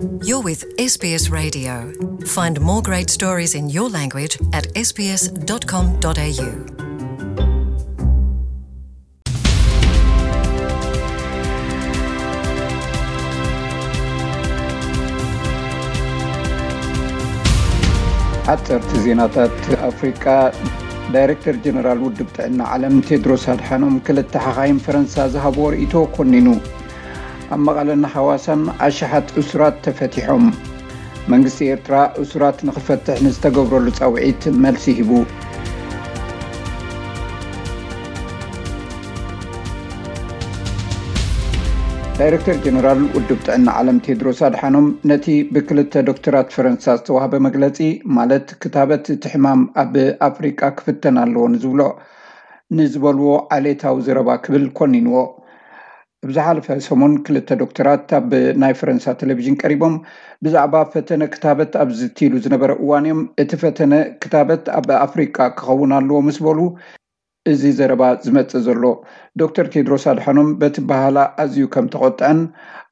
You're with S B S Radio. Find more great stories in your language at S B S dot com dot A U. ሓፀርቲ ዜናታት ኣፍሪቃ። ዳይሬክተር ጀነራል ውድብ ጥዕና ዓለም ቴድሮስ ኣድሓኖም ክልተ ሓኻይም ፈረንሳ ዝሃብዎ ርእይቶ ኮኒኑ። ኣብ መቐለን ሃዋሳን ኣሽሓት እሱራት ተፈቲሖም። መንግስቲ ኤርትራ እሱራት ንኽፈትሕ ንዝተገብረሉ ጻውዒት መልሲ ሂቡ። ዳይሬክተር ጀነራል ውድብ ጥዕና ዓለም ቴድሮስ ኣድሓኖም ነቲ ብክልተ ዶክተራት ፈረንሳ ዝተዋህበ መግለጺ፣ ማለት ክታበት እቲ ሕማም ኣብ ኣፍሪቃ ክፍተን ኣለዎ ንዝብሎ ንዝበልዎ ዓሌታዊ ዘረባ ክብል ኮኒንዎ። ኣብ ዝሓለፈ ሰሙን ክልተ ዶክተራት ኣብ ናይ ፈረንሳ ቴሌቪዥን ቀሪቦም ብዛዕባ ፈተነ ክታበት ኣብ ዝትይሉ ዝነበረ እዋን እዮም እቲ ፈተነ ክታበት ኣብ ኣፍሪቃ ክኸውን ኣለዎ ምስ በሉ እዚ ዘረባ ዝመጽእ ዘሎ። ዶክተር ቴድሮስ ኣድሓኖም በቲ በሃላ ኣዝዩ ከም ተቖጥዐን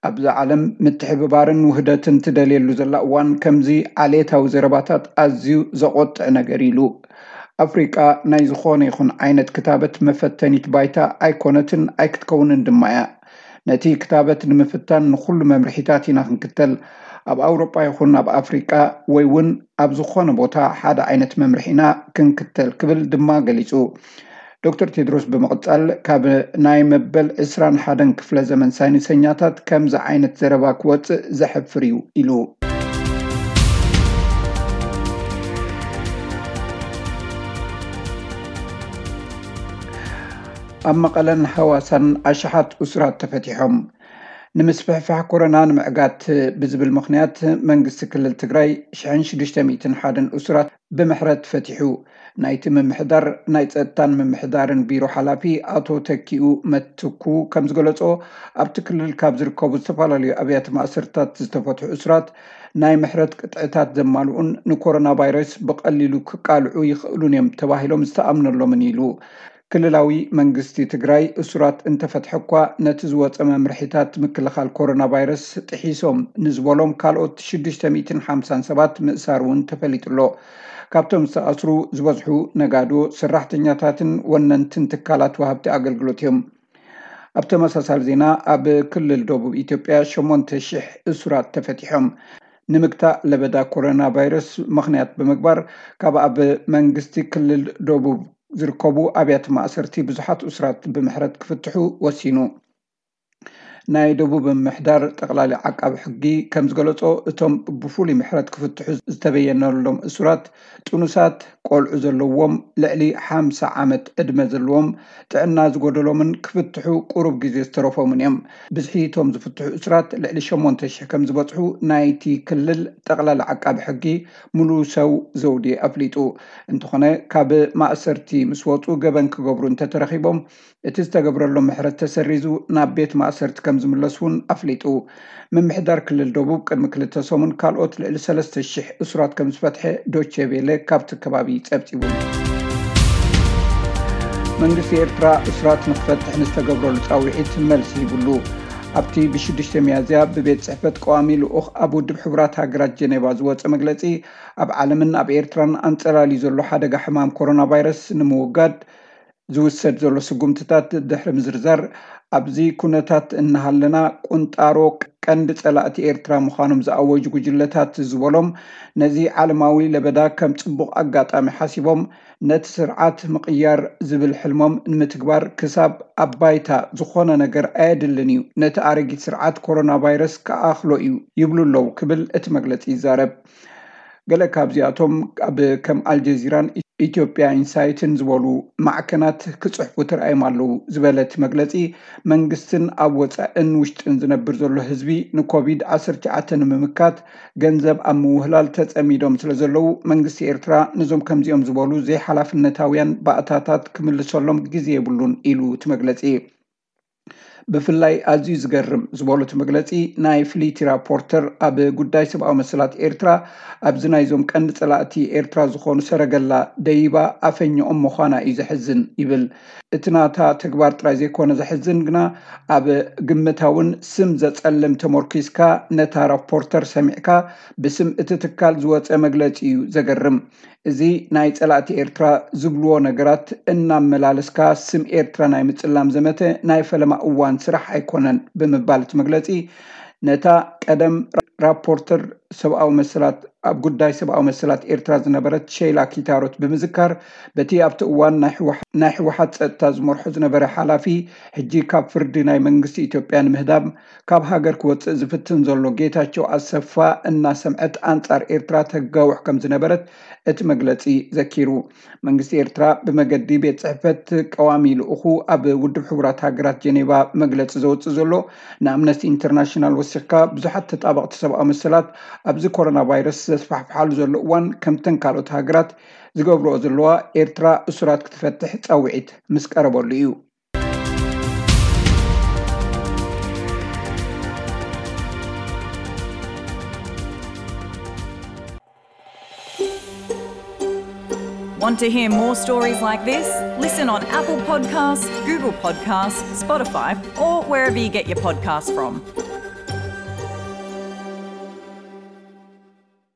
ኣብዛ ዓለም ምትሕብባርን ውህደትን ትደልየሉ ዘላ እዋን ከምዚ ዓሌታዊ ዘረባታት ኣዝዩ ዘቖጥዕ ነገር ኢሉ። ኣፍሪቃ ናይ ዝኾነ ይኹን ዓይነት ክታበት መፈተኒት ባይታ ኣይኮነትን ኣይክትከውንን ድማ እያ። ነቲ ክታበት ንምፍታን ንኹሉ መምርሒታት ኢና ክንክተል። ኣብ ኣውሮጳ ይኹን ኣብ ኣፍሪቃ ወይ እውን ኣብ ዝኾነ ቦታ ሓደ ዓይነት መምርሒ ኢና ክንክተል ክብል ድማ ገሊጹ። ዶክተር ቴድሮስ ብምቕጻል ካብ ናይ መበል ዕስራን ሓደን ክፍለ ዘመን ሳይንሰኛታት ከምዚ ዓይነት ዘረባ ክወጽእ ዘሕፍር እዩ ኢሉ። ኣብ መቐለን ሃዋሳን ኣሽሓት እሱራት ተፈቲሖም። ንምስፍሕፋሕ ኮሮና ንምዕጋት ብዝብል ምኽንያት መንግስቲ ክልል ትግራይ ሽሕን ሽዱሽተ ሚእትን ሓደን እሱራት ብምሕረት ፈቲሑ። ናይቲ ምምሕዳር ናይ ጸጥታን ምምሕዳርን ቢሮ ሓላፊ ኣቶ ተኪኡ መትኩ ከም ዝገለጾ፣ ኣብቲ ክልል ካብ ዝርከቡ ዝተፈላለዩ ኣብያተ ማእሰርታት ዝተፈትሑ እሱራት ናይ ምሕረት ቅጥዕታት ዘማልኡን ንኮሮና ቫይረስ ብቐሊሉ ክቃልዑ ይኽእሉን እዮም ተባሂሎም ዝተኣምነሎምን ኢሉ። ክልላዊ መንግስቲ ትግራይ እሱራት እንተፈትሐ እኳ ነቲ ዝወፀ መምርሒታት ምክልኻል ኮሮና ቫይረስ ጥሒሶም ንዝበሎም ካልኦት ሽዱሽተ ሚእትን ሓምሳን ሰባት ምእሳር እውን ተፈሊጡ ኣሎ። ካብቶም ዝተኣስሩ ዝበዝሑ ነጋዶ፣ ሰራሕተኛታትን ወነንትን ትካላት ወሃብቲ ኣገልግሎት እዮም። ኣብ ተመሳሳሊ ዜና ኣብ ክልል ደቡብ ኢትዮጵያ ሸሞንተ ሽሕ እሱራት ተፈቲሖም። ንምግታእ ለበዳ ኮሮና ቫይረስ ምኽንያት ብምግባር ካብ ኣብ መንግስቲ ክልል ደቡብ ዝርከቡ ኣብያተ ማእሰርቲ ብዙሓት እሱራት ብምሕረት ክፍትሑ ወሲኑ። ናይ ደቡብ ምምሕዳር ጠቕላሊ ዓቃቢ ሕጊ ከም ዝገለጾ፣ እቶም ብፍሉይ ምሕረት ክፍትሑ ዝተበየነሎም እሱራት ጥኑሳት፣ ቆልዑ ዘለዎም፣ ልዕሊ ሓምሳ ዓመት ዕድመ ዘለዎም፣ ጥዕና ዝጎደሎምን ክፍትሑ ቁሩብ ግዜ ዝተረፎምን እዮም። ብዝሒ እቶም ዝፍትሑ እሱራት ልዕሊ ሸሞንተ ሽሕ ከም ዝበጽሑ ናይቲ ክልል ጠቕላሊ ዓቃቢ ሕጊ ሙሉ ሰው ዘውዴ ኣፍሊጡ። እንተኾነ ካብ ማእሰርቲ ምስ ወጹ ገበን ክገብሩ እንተተረኺቦም እቲ ዝተገብረሎም ምሕረት ተሰሪዙ ናብ ቤት ማእሰርቲ ከም ዝምለሱ እውን ኣፍሊጡ። ምምሕዳር ክልል ደቡብ ቅድሚ ክልተ ሰሙን ካልኦት ልዕሊ ሰለስተ ሽሕ እሱራት ከም ዝፈትሐ ዶቼ ቬለ ካብቲ ከባቢ ጸብጺቡ። መንግስቲ ኤርትራ እሱራት ንክፈትሕ ንዝተገብረሉ ጻውዒት መልሲ ሂብሉ። ኣብቲ ብሽዱሽተ ሚያዝያ ብቤት ጽሕፈት ቀዋሚ ልኡኽ ኣብ ውድብ ሕቡራት ሃገራት ጀኔቫ ዝወጸ መግለጺ፣ ኣብ ዓለምን ኣብ ኤርትራን ኣንጸላልዩ ዘሎ ሓደጋ ሕማም ኮሮና ቫይረስ ንምውጋድ ዝውሰድ ዘሎ ስጉምትታት ድሕሪ ምዝርዛር፣ ኣብዚ ኩነታት እናሃለና ቁንጣሮ ቀንዲ ጸላእቲ ኤርትራ ምዃኖም ዝኣወጁ ጉጅለታት ዝበሎም፣ ነዚ ዓለማዊ ለበዳ ከም ጽቡቕ ኣጋጣሚ ሓሲቦም፣ ነቲ ስርዓት ምቕያር ዝብል ሕልሞም ንምትግባር ክሳብ ኣብ ባይታ ዝኾነ ነገር ኣየድልን እዩ፣ ነቲ ኣረጊት ስርዓት ኮሮና ቫይረስ ክኣኽሎ እዩ ይብሉ ኣለዉ ክብል እቲ መግለጺ ይዛረብ። ገለ ካብዚኣቶም ኣብ ከም ኣልጀዚራን ኢትዮጵያ ኢንሳይትን ዝበሉ ማዕከናት ክጽሕፉ ተራእዮም ኣለዉ ዝበለ እቲ መግለጺ፣ መንግስትን ኣብ ወጻእን ውሽጥን ዝነብር ዘሎ ህዝቢ ንኮቪድ ዓሰርተ ትሽዓተ ንምምካት ገንዘብ ኣብ ምውህላል ተጸሚዶም ስለ ዘለዉ፣ መንግስቲ ኤርትራ ነዞም ከምዚኦም ዝበሉ ዘይሓላፍነታውያን ባእታታት ክምልሰሎም ግዜ የብሉን ኢሉ እቲ መግለጺ። ብፍላይ ኣዝዩ ዝገርም ዝበሎ እቲ መግለፂ፣ ናይ ፍልይቲ ራፖርተር ኣብ ጉዳይ ሰብኣዊ መሰላት ኤርትራ ኣብዚ ናይዞም ቀንዲ ፀላእቲ ኤርትራ ዝኾኑ ሰረገላ ደይባ ኣፈኝኦም ምዃና እዩ ዘሕዝን ይብል። እቲ ናታ ተግባር ጥራይ ዘይኮነ ዘሕዝን ግና፣ ኣብ ግምታውን ስም ዘጸልም ተመርኲስካ ነታ ራፖርተር ሰሚዕካ ብስም እቲ ትካል ዝወጸ መግለጺ እዩ ዘገርም። እዚ ናይ ጸላእቲ ኤርትራ ዝብልዎ ነገራት እናመላለስካ ስም ኤርትራ ናይ ምጽላም ዘመተ ናይ ፈለማ እዋን ስራሕ ኣይኮነን ብምባል እቲ መግለጺ ነታ ቀደም ራፖርተር ሰብኣዊ መሰላት ኣብ ጉዳይ ሰብኣዊ መሰላት ኤርትራ ዝነበረት ሸይላ ኪታሮት ብምዝካር፣ በቲ ኣብቲ እዋን ናይ ህወሓ- ናይ ህወሓት ጸጥታ ዝመርሖ ዝነበረ ሓላፊ፣ ሕጂ ካብ ፍርዲ ናይ መንግስቲ ኢትዮጵያ ንምህዳም ካብ ሃገር ክወጽእ ዝፍትን ዘሎ ጌታቸው ኣሰፋ እናሰምዐት ኣንጻር ኤርትራ ተጋውሕ ከም ዝነበረት እቲ መግለጺ ዘኪሩ። መንግስቲ ኤርትራ ብመገዲ ቤት ጽሕፈት ቀዋሚ ልኡኹ ኣብ ውድብ ሕቡራት ሃገራት ጀኔቫ መግለጺ ዘውጽእ ዘሎ፣ ንኣምነስቲ ኢንተርናሽናል ወሲኽካ ብዙሓት ተጣበቕቲ ሰብኣዊ መሰላት ኣብዚ ኮሮና ቫይረስ ዘስፋሕፍሓሉ ዘሎ እዋን ከምተን ካልኦት ሃገራት ዝገብርኦ ዘለዋ ኤርትራ እሱራት ክትፈትሕ ጻውዒት ምስ ቀረበሉ እዩ። Want to hear more stories like this? Listen on Apple Podcasts, Google Podcasts, Spotify, or wherever you get your podcasts from.